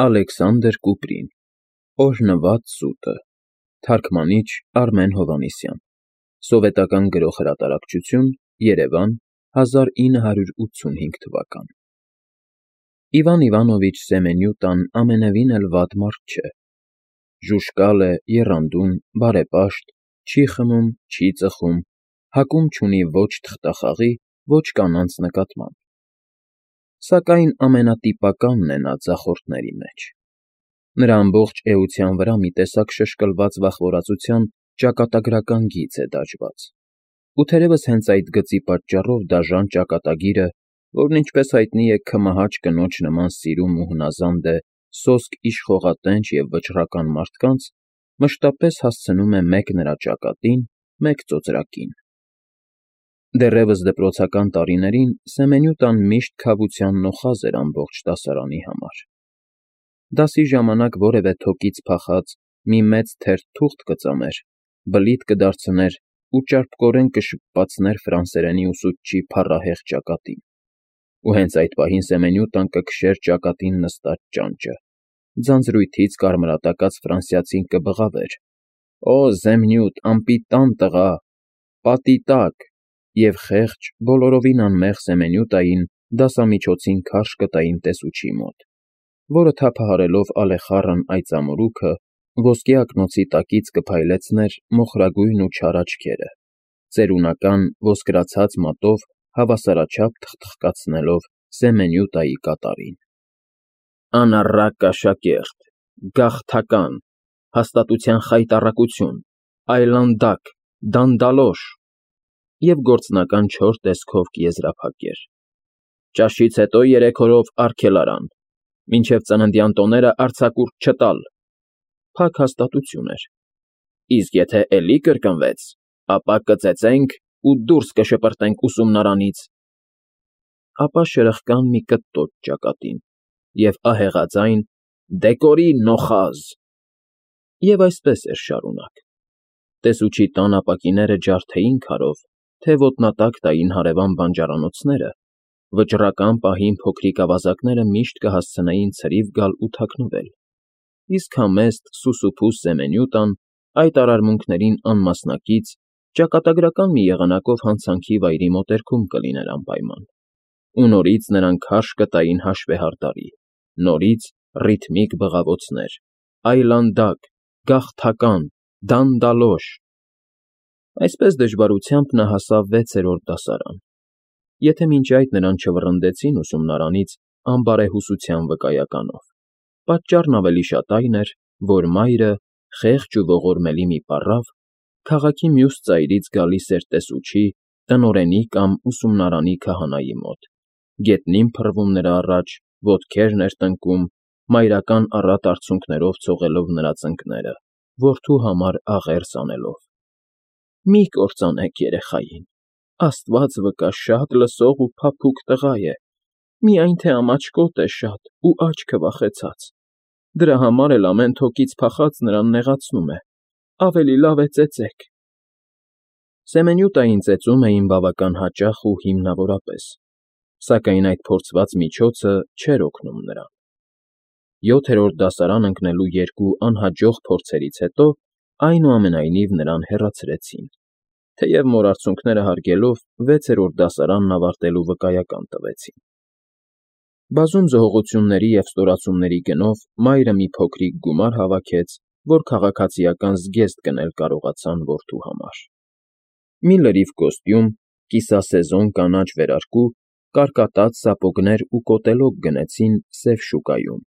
Ալեքսանդր Կուպրին, Օրհնված սուտը, թարգմանիչ Արմեն Հովհաննիսյան, սովետական գրող֊հրատարակչություն, Երևան, 1985 թվական։ Իվան Իվանովիչ Սեմենյուտան ամենևին էլ վատ մարդ չէ։ Ժուժկալ է, եռանդուն, բարեպաշտ, չի խմում, չի ծխում, հակում չունի ոչ թղթախաղի, ոչ կանանց նկատմամբ։ Սակայն ամենատիպականն է նա ձախորդների մեջ։ Նրա ամբողջ էության վրա մի տեսակ շշկլված վախվորածության ճակատագրական գիծ է դաջված։ Ու թերևս հենց այդ գծի պատճառով դաժան ճակատագիրը, որն ինչպես հայտնի է քմահաճ կնոջ նման սիրում ու հնազանդ է սոսկ իշխողատենչ և վճռական մարդկանց, մշտապես հասցնում է մեկ նրա ճակատին, մեկ ծոծրակին։ Դեռևս դպրոցական տարիներին Սեմենյուտան միշտ քավության նոխազ էր ամբողջ դասարանի համար։ Դասի ժամանակ որևէ թոկից փախած մի մեծ թերթ թուղթ կծամեր, բլիթ կդարձներ ու ճարպկորեն կշպպացներ ֆրանսերենի ուսուցչի փառահեղ ճակատին։ Ու հենց այդ պահին Սեմենյուտան կքշեր ճակատին նստած ճանճը, ձանձրույթից կարմրատակած ֆրանսիացին կբղավեր. «Օ, Զեմնյուտ, անպիտան տղա, պատի տակ», և խեղճ, բոլորովին անմեղ Սեմենյուտային դասամիջոցին քարշ կտային տեսուչի մոտ, որը թափահարելով ալեխառն այծամորուքը, ոսկե ակնոցի տակից կփայլեցներ մոխրագույն ու չար աչքերը, ծերունական ոսկրացած մատով հավասարաչափ թխթխկացնելով Սեմենյուտայի կատարին։ «Անառակ աշակերտ, գաղթական, հաստատության խայտառակություն, այլանդակ, դանդալոշ» և գործնական չոր տեսքով կեզրափակեր. «Ճաշից հետո 3 օրով արգելարան, մինչև ծննդյան տոները արձակուրդ չտալ»։ Փակ հաստատություն էր։ Իսկ եթե էլի կրկնվեց, ապա կծեծենք ու դուրս կշպրտենք ուսումնարանից։ Ապա շրխկան մի կտտոց ճակատին և ահեղաձայն «Դեկորի նոխազ»։ Եվ այսպես էր շարունակ։ Տեսուչի տան ապակիները ջարդեին քարով, թե ոտնատակ տային հարևան բանջարանոցները, վճռական պահին փոքրիկ ավազակները միշտ կհասցնեին ցրիվ գալ ու թաքնվել, իսկ համեստ, սուսուփուս Սեմենյուտան այդ արարմունքներին անմասնակից, ճակատագրական մի եղանակով հանցանքի վայրի մոտերքում կլիներ անպայման։ Ու նորից նրան քարշ կտային հաշվեհարդարի, նորից ռիթմիկ բղավոցներ, այլանդակ, գաղթական, դանդալոշ։ Այսպես դժվարությամբ նա հասավ 6-րդ դասարան։ Եթե մինչ այդ նրան չվռնդեցին ուսումնարանից անբարեհուսության վկայականով, պատճառն ավելի շատ այն էր, որ մայրը, խեղճ ու ողորմելի մի պառավ, քաղաքի մյուս ծայրից գալիս էր տեսուչի, տնօրենի կամ ուսումնարանի քահանայի մոտ, գետնին փռվում նրա առաջ, ոտքերն էր տնկում, մայրական առատ արցունքներով ցողելով նրա ծնկները, որդու համար աղերս անելով։ «Մի կործանեք երեխային, Աստված վկա, շատ լսող ու փափուկ տղա է, միայն թե ամաչկոտ է շատ ու աչքը վախեցած, դրա համար էլ ամեն թոկից փախած նրան նեղացնում է, ավելի լավ է ծեծեք»։ Սեմենյուտային ծեծում էին բավական հաճախ ու հիմնավորապես, սակայն այդ փորձված միջոցը չէր օգնում նրան։ 7-րդ դասարան ընկնելու 2 անհաջող փորձերից հետո այնուամենայնիվ նրան հեռացրեցին, թեև մորարցունքները հարգելով 6-րդ դասարանն ավարտելու վկայական տվեցին։ Բազում զոհողությունների և ստորացումների գնով մայրը մի փոքրիկ գումար հավաքեց, որ քաղաքացիական զգեստ գնել կարողացան որդու համար։ Մի լրիվ կոստյում, կիսասեզոն կանաչ վերարկու, կարկատած սապոգներ ու կոտելոկ գնեցին սև շուկայում,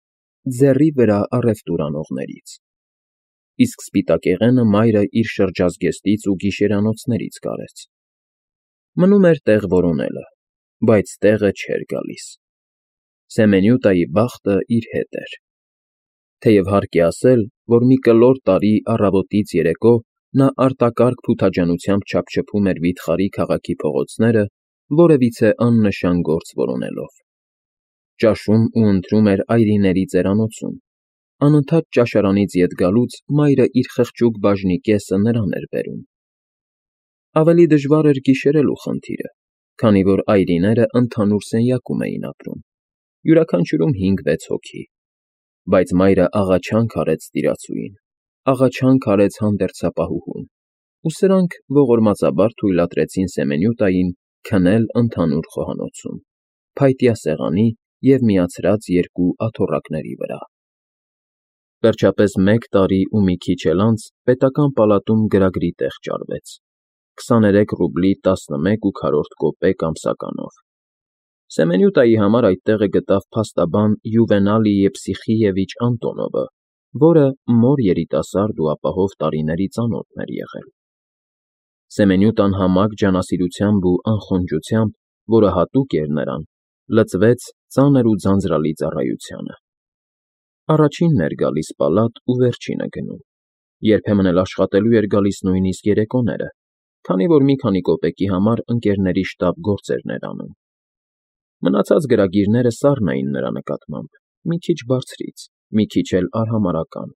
ձեռի վրա առևտուր անողներից։ Իսկ սպիտակեղենը մայրը իր շրջազգեստից ու գիշերանոցներից կարեց։ Մնում էր տեղ որոնելը, բայց տեղը չէր գալիս։ Սեմենյուտայի բախտը իր հետ էր։ Թեև հարկ է ասել, որ մի կլոր տարի առավոտից երեկո նա արտակարգ փութաջանությամբ չափչփում էր վիթխարի քաղաքի փողոցները, որևիցե աննշան գործ որոնելով։ Ճաշում ու ընթրում էր այրիների ծերանոցում, անընդհատ ճաշարանից ետ գալուց մայրը իր խղճուկ բաժնի կեսը նրան էր բերում։ Ավելի դժվար էր գիշերելու խնդիրը, քանի որ այրիները ընդհանուր սենյակում էին ապրում, յուրաքանչյուրում 5-6 հոգի։ Բայց մայրը աղաչանք արեց տիրացուին, աղաչանք արեց հանդերձապահուհուն, ու սրանք ողորմածաբար թույլատրեցին Սեմենյուտային քնել ընդհանուր խոհանոցում, փայտյա սեղանի և միացրած երկու աթոռակների վրա։ Վերջապես 1 տարի ու մի քիչ էլ անց պետական պալատում գրագրի տեղ ճարվեց 23 ռուբլի 11 կոպեկ ամսականով։ Սեմենյուտայի համար այդ տեղը գտավ փաստաբան Յուվենալի Եփսիխիևիչ Անտոնովը, որը մոր երիտասարդ ու ապահով տարիների ծանոթն էր եղել։ Սեմենյուտան համակ ջանասիրությամբ ու անխոնջությամբ, որը հատուկ էր նրան, լծվեց ծանր ու ձանձրալի ծառայությանը։ Առաջինն էր գալիս պալատ ու վերջինը գնում, երբեմն էլ աշխատելու էր գալիս նույնիսկ երեկոները, քանի որ մի քանի կոպեկի համար ընկերների շտապ գործերն էր անում։ Մնացած գրագիրները սառն էին նրա նկատմամբ, մի քիչ բարձրից, մի քիչ էլ արհամարհական։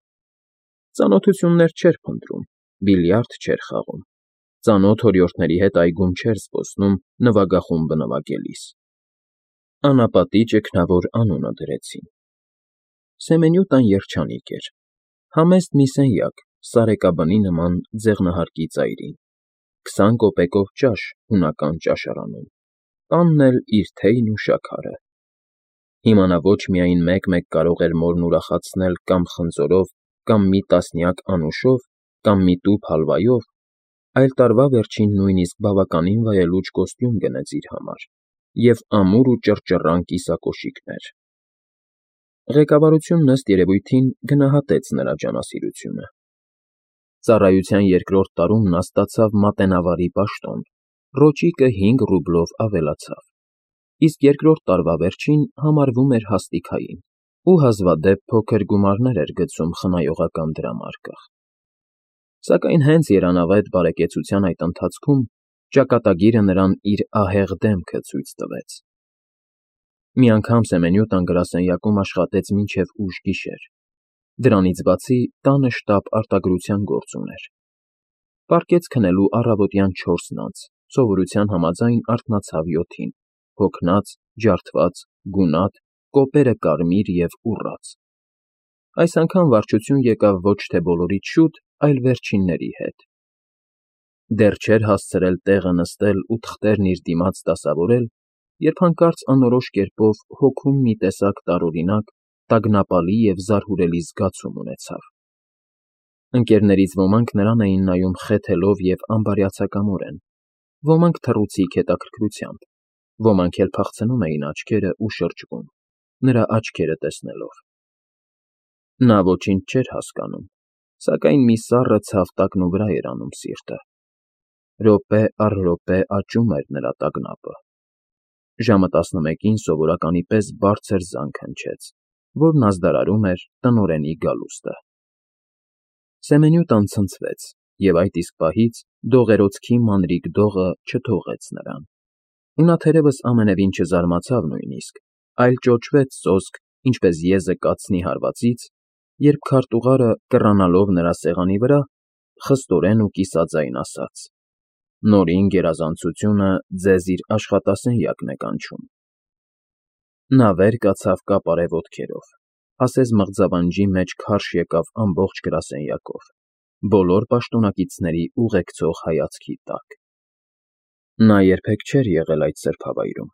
Ծանոթություններ չէր փնտրում, բիլիարդ չէր խաղում, ծանոթ օրիորդների հետ այգում չէր զբոսնում նվագախումբը նվագելիս։ Անապատի ճգնավոր անունը դրեցին։ Սեմենյուտան երջանիկ էր, համեստ մի սենյակ, սարեկաբնի նման ձեղնահարկի ծայրին, 20 կոպեկով ճաշ հունական ճաշարանում, տանն էլ իր թեյն ու շաքարը։ Հիմա նա ոչ միայն մեկ-մեկ կարող էր մորն ուրախացնել կամ խնձորով, կամ մի տասնյակ անուշով, կամ մի տուփ հալվայով, այլ տարվա վերջին նույնիսկ բավականին վայելուչ կոստյում գնեց իր համար և ամուր ու ճռճռան կիսակոշիկներ։ Ղեկավարությունն ըստ երևույթին գնահատեց նրա ջանասիրությունը։ Ծառայության երկրորդ տարում նա ստացավ մատենավարի պաշտոն, ռոճիկը 5 ռուբլով ավելացավ, իսկ երկրորդ տարվա վերջին համարվում էր հաստիքային ու հազվադեպ փոքր գումարներ էր գցում խնայողական դրամարկղ։ Սակայն հենց երանավետ բարեկեցության այդ ընթացքում ճակատագիրը նրան իր ահեղ դեմքը ցույց տվեց։ Մի անգամ Սեմենյուտան գրասենյակում աշխատեց մինչև ուշ գիշեր, դրանից բացի տանը շտապ արտագրության գործ ուներ։ Պառկեց քնելու առավոտյան 4-ն անց, սովորության համաձայն արթնացավ 7-ին, հոգնած, ջարդված, գունատ, կոպերը կարմիր և ուռած։ Այս անգամ վարչություն եկավ ոչ թե բոլորից շուտ, այլ վերջինների հետ։ Դեռ չէր հասցրել տեղը նստել ու թղթերն իր դիմաց դասավորել, երբ հանկարծ անորոշ կերպով հոգում մի տեսակ տարօրինակ, տագնապալի և զարհուրելի զգացում ունեցավ։ Ընկերներից ոմանք նրան էին նայում խեթելով և անբարյացակամորեն, ոմանք թռուցիկ հետաքրքրությամբ, ոմանք էլ փախցնում էին աչքերը ու շրջվում, նրա աչքերը տեսնելով։ Նա ոչինչ չէր հասկանում, սակայն մի սառը ցավ տակնուվրա էր անում սիրտը։ Րոպե առ րոպե աճում էր նրա տագնապը։ Ժամը 11-ին սովորականի պես բարձր զանգ հնչեց, որն ազդարարում էր տնօրենի գալուստը։ Սեմենյուտան ցնցվեց, և այդ իսկ պահից դողերոցքի մանրիկ դողը չթողեց նրան։ Ու նա թերևս ամենևին չզարմացավ նույնիսկ, այլ ճոճվեց սոսկ, ինչպես եզը կացնի հարվածից, երբ քարտուղարը, կռանալով նրա սեղանի վրա, խստորեն ու կիսաձայն ասաց. «Նորին գերազանցությունը ձեզ իր աշխատասենյակն է կանչում»։ Նա վեր կացավ կապարե ոտքերով, ասես մղձավանջի մեջ քարշ եկավ ամբողջ գրասենյակով, բոլոր պաշտոնակիցների ուղեկցող հայացքի տակ։ Նա երբեք չէր եղել այդ սրբավայրում,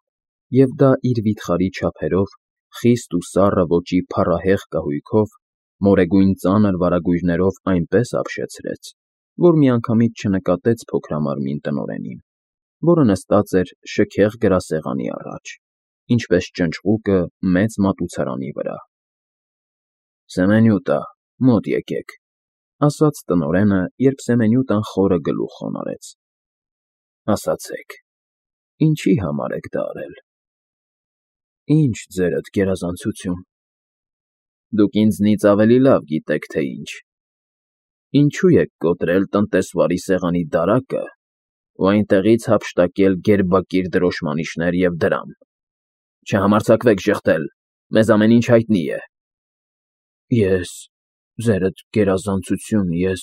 և դա իր վիթխարի չափերով, խիստ ու սառը ոճի փառահեղ կահույքով, մորեգույն ծանր վարագույրներով այնպես ապշեցրեց, որ միանգամից չնկատեց փոքրամարմին տնօրենին, որը նստած էր շքեղ գրասեղանի առաջ, ինչպես ճնճղուկը մեծ մատուցարանի վրա։ «Սեմենյուտա, մոտ եկեք», ասաց տնօրենը, երբ Սեմենյուտան խորը գլուխ խոնարհեց։ «Ասացեք, ինչի համար եք դա արել»։ «Ինչ ձերդ գերազանցություն»։ «Դուք ինձնից ավելի լավ գիտեք, թե ինչ։ Ինչու եք կոտրել տնտեսվարի սեղանի դարակը ու այնտեղից հափշտակել գերբակիր դրոշմանիշներ և դրամ։ Չհամարձակվեք ժխտել, մեզ ամեն ինչ հայտնի է»։ «Ձերդ գերազանցություն, ես,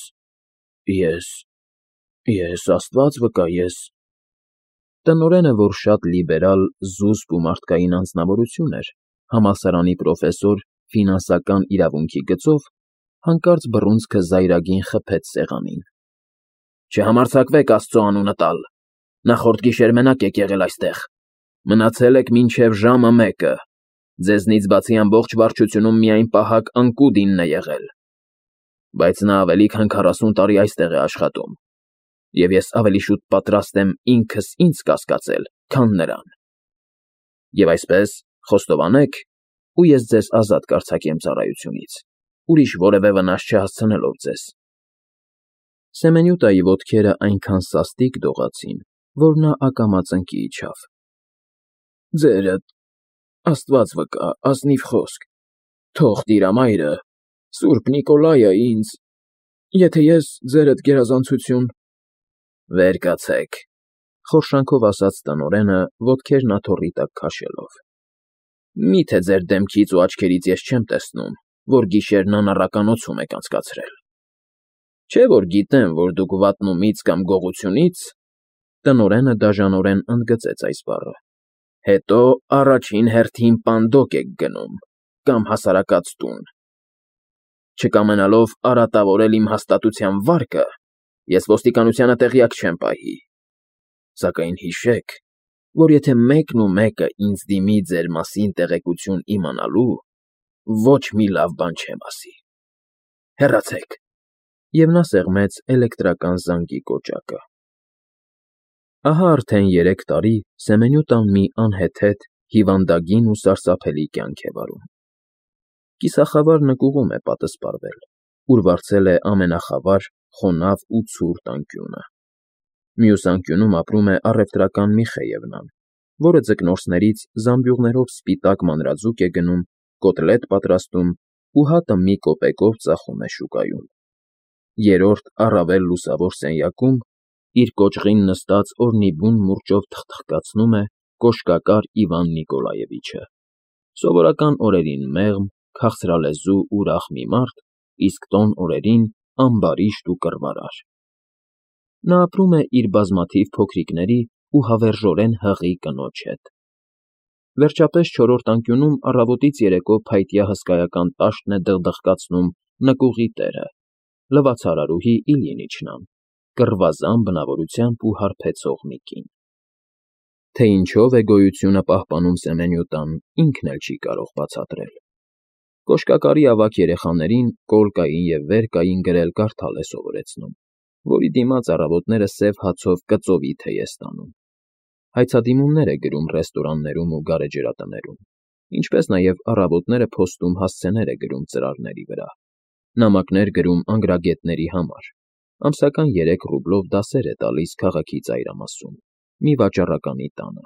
Աստված վկա, ես…» Տնօրենը, որ շատ լիբերալ, զուսպ ու մարդկային անձնավորություն էր, համալսարանի պրոֆեսոր ֆինանսական իրավունքի գծով, հանկարծ բռունցքը զայրագին խփեց սեղանին։ Չհամարձակվեք Աստծո անունը տալ։ Նախորդ գիշեր մենակ եք եղել այստեղ։ Մնացել եք մինչև ժամը 1-ը։ Ձեզնից բացի ամբողջ վարչությունում միայն պահակ Անկուդինն է եղել։ Բայց նա ավելի քան 40 տարի այստեղ է աշխատում, և ես ավելի շուտ պատրաստ եմ ինքս ինձ կասկածել, քան նրան։ Եվ այսպես, խոստովանեք, ու ես ձեզ ազատ կարձակեմ ծառայությունից, ուրիշ որևէ վնաս չհասցնելով ձեզ։ Սեմենյուտայի ոտքերը այնքան սաստիկ դողացին, որ նա ակամա ծնկի իջավ։ Ձերդ, Աստված վկա, ազնիվ խոսք, թող Տիրամայրը, Սուրբ Նիկոլայը ինձ, եթե ես ձերդ գերազանցություն… Վեր կացեք, խորշանքով ասաց տնօրենը, ոտքերն աթոռի տակ քաշելով։ Միթե ձեր դեմքից ու աչքերից ես չեմ տեսնում, որ գիշերն անառականոցում եք անցկացրել։ Չէ՞ որ գիտեմ, որ դուք վատնումից կամ գողությունից… Տնօրենը դաժանորեն ընդգծեց այս բառը։ Հետո առաջին հերթին պանդոկ եք գնում կամ հասարակած տուն։ Չկամենալով արատավորել իմ հաստատության վարկը, ես ոստիկանությանը տեղյակ չեմ պահի։ Սակայն հիշեք, որ եթե մեկն ու մեկը ինձ դիմի ձեր մասին տեղեկություն իմանալու, ոչ մի լավ բան չեմ ասի։ Հեռացեք։ Եվ նա սեղմեց էլեկտրական զանգի կոճակը։ Ահա արդեն 3 տարի Սեմենյուտան մի անհեթեթ, հիվանդագին ու սարսափելի կյանք է վարում։ Կիսախավար նկուղում է պատսպարվել, ուր վարձել է ամենախավար, խոնավ ու ցուրտ անկյունը։ Մյուս անկյունում ապրում է առևտրական Միխեևնան, որը ձկնորսներից զամբյուղներով սպիտակ մանրաձուկ է գնում, կոտլետ պատրաստում ու հատը մի կոպեկով ծախում է շուկայում։ Երրորդ առավել լուսավոր սենյակում իր կոճղին նստած օրնիբուն մուրճով թխթխկացնում է կոշկակար Իվան Նիկոլաևիչը, սովորական օրերին մեղմ, քաղցրալեզու ուրախ մի մարդ, իսկ տոն օրերին ամբարիշտ ու կռվարար։ Նա ապրում է իր բազմաթիվ փոքրիկների ու հավերժորեն հղի կնոջ հետ։ Վերջապես 4-րդ անկյունում առավոտից երեկո փայտյա հսկայական տաշտն է դղդղկացնում նկուղի տերը, լվացարարուհի Իլյինիչնան, կռվազան բնավորությամբ ու հարբեցող մի կին։ Թե ինչով է գոյությունը պահպանում Սեմենյուտան, ինքն էլ չի կարող բացատրել։ Կոշկակարի ավագ երեխաներին կոլկային և վերկային գրել-կարդալ է սովորեցնում, որի դիմաց առավոտները սև հացով կծովի թեյ է ստանում։ Հայցադիմումներ է գրում ռեստորաններում ու գարեջրատներում, ինչպես նաև առավոտները փոստում հասցեներ է գրում ծրարների վրա, նամակներ գրում անգրագետների համար, ամսական 3 ռուբլով դասեր է տալիս քաղաքի ծայրամասում, մի վաճառականի տանը։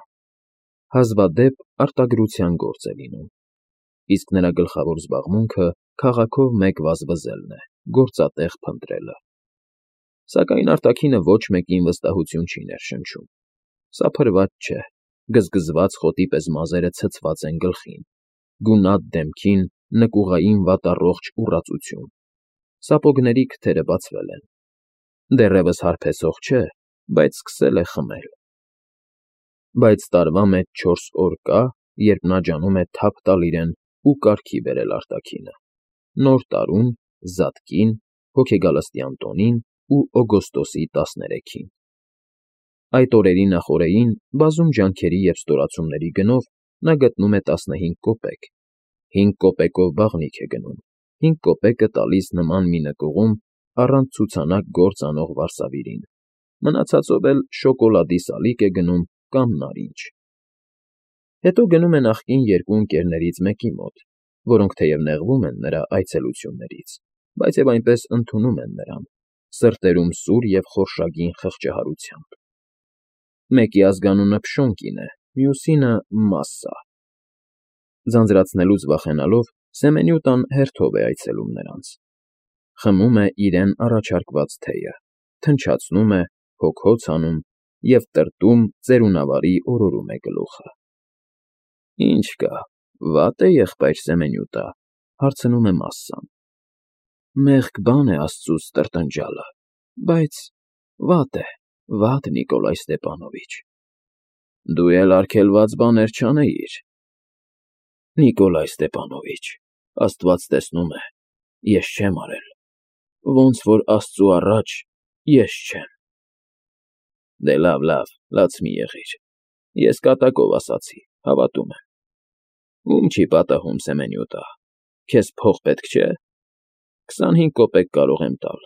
Հազվադեպ արտագրության գործ է լինում, իսկ նրա գլխավոր զբաղմունքը քաղաքով մեկ վազվզելն է, գործատեղ փնտրելը։ Սակայն արտաքինը ոչ մեկին վստահություն չի ներշնչում։ Սափրված չէ, գզգզված խոտի պես մազերը ցցված են գլխին, գունատ դեմքին նկուղային վատառողջ ուռածություն, սապոգների քթերը բացվել են։ Դեռևս հարբեցող չէ, բայց սկսել է խմել։ Բայց տարվա մեջ 4 օր կա, երբ նա ջանում է թափ տալ իրեն ու կարգի բերել արտաքինը՝ Նոր տարուն, Զատկին, հոգեգալստյան տոնին ու օգոստոսի 13-ին։ Այդ օրերի նախօրեին բազում ջանքերի և ստորացումների գնով նա գտնում է 15 կոպեկ, 5 կոպեկով բաղնիք է գնում, 5 կոպեկը տալիս նման մի նկուղում առանց ցուցանակ գործ անող վարսավիրին, մնացածով էլ շոկոլադի սալիկ է գնում կամ նարինջ։ Հետո գնում է նախկին 2 ընկերներից մեկի մոտ, որոնք թեև նեղվում են նրա այցելություններից, բայց և այնպես ընդունում են նրան, սրտերում սուր և խորշագին խղճահարությամբ։ Մեկի ազգանունը Փշոն է, մյուսինը Մասսա։ Ձանձրացնելուց վախենալով Սեմենյուտան հերթով է այցելում նրանց։ Խմում է իրեն առաջարկված թեյը, թնչացնում է, հոգ-հոց անում և տրտում ծերունավարի օրորում է գլուխը։ Ինչ կա, վատ է եղբայր Սեմենյուտա, հարցնում է Մասսան։ Մեղք բան է աստծուց տրտնջալը, բայց վատ է, վատ Նիկոլայ Ստեպանովիչ։ Դու էլ արգելված բաներ չանեիր։ Նիկոլայ Ստեպանովիչ, Աստված տեսնում է, ես չեմ արել, ոնց որ Աստծու առաջ ես չեմ։ Դե լավ, լաց մի եղիր, ես կատակով ասացի, հավատում եմ։ Ում չի պատահում Սեմենյուտա, քեզ փող պետք չէ, 25 կոպեկ կարող եմ տալ։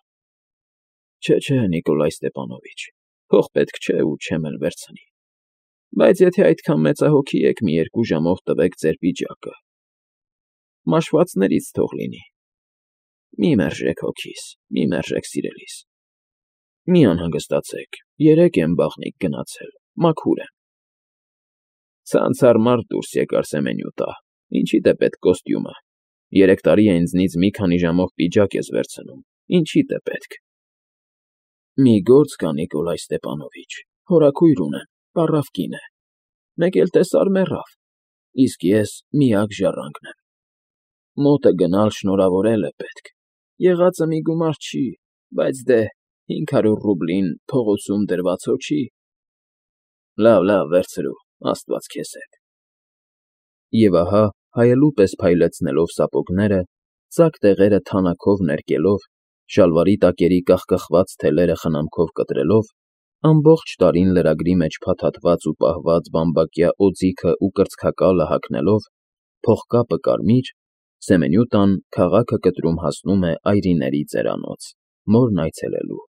Չէ, Նիկոլայ Ստեպանովիչ, փող պետք չէ ու չեմ էլ վերցնի, բայց եթե այդքան մեծահոգի եք, մի 2 ժամով տվեք ձեր պիջակը, մաշվածներից թող լինի, մի մերժեք հոգիս, մի մերժեք սիրելիս, մի անհանգստացեք, 3 եմ բաղնիք գնացել, մաքուր եմ։ Ցանցառ մարդ դուրս եկար Սեմենյուտա, ինչիդ է պետք կոստյումը, 3 տարի է ինձնից մի քանի ժամով պիջակ ես վերցնում, ինչիդ է պետք։ Մի գործ կա, Նիկոլայ Ստեպանովիչ, հորաքույր ունեմ, պառավ կին է, մեկ էլ տեսար մեռավ, իսկ ես միակ ժառանգն եմ։ Մոտը գնալ շնորհավորել է պետք, եղածը մի գումար չի, բայց դե 500 ռուբլին փողոցում դրված հո չի։ Լավ, վերցրու, Աստված քեզ հետ։ Եվ ահա, հայելու պես փայլեցնելով սապոգները, ծակ տեղերը թանաքով ներկելով, շալվարի տակերի կախկխված թելերը խնամքով կտրելով, ամբողջ տարին լրագրի մեջ փաթաթված ու պահված բամբակյա օձիքը ու կրծքակալը հագնելով, փողկապը կարմիր, Սեմենյուտան քաղաքը կտրում հասնում է այրիների ծերանոց, մորն այցելելու։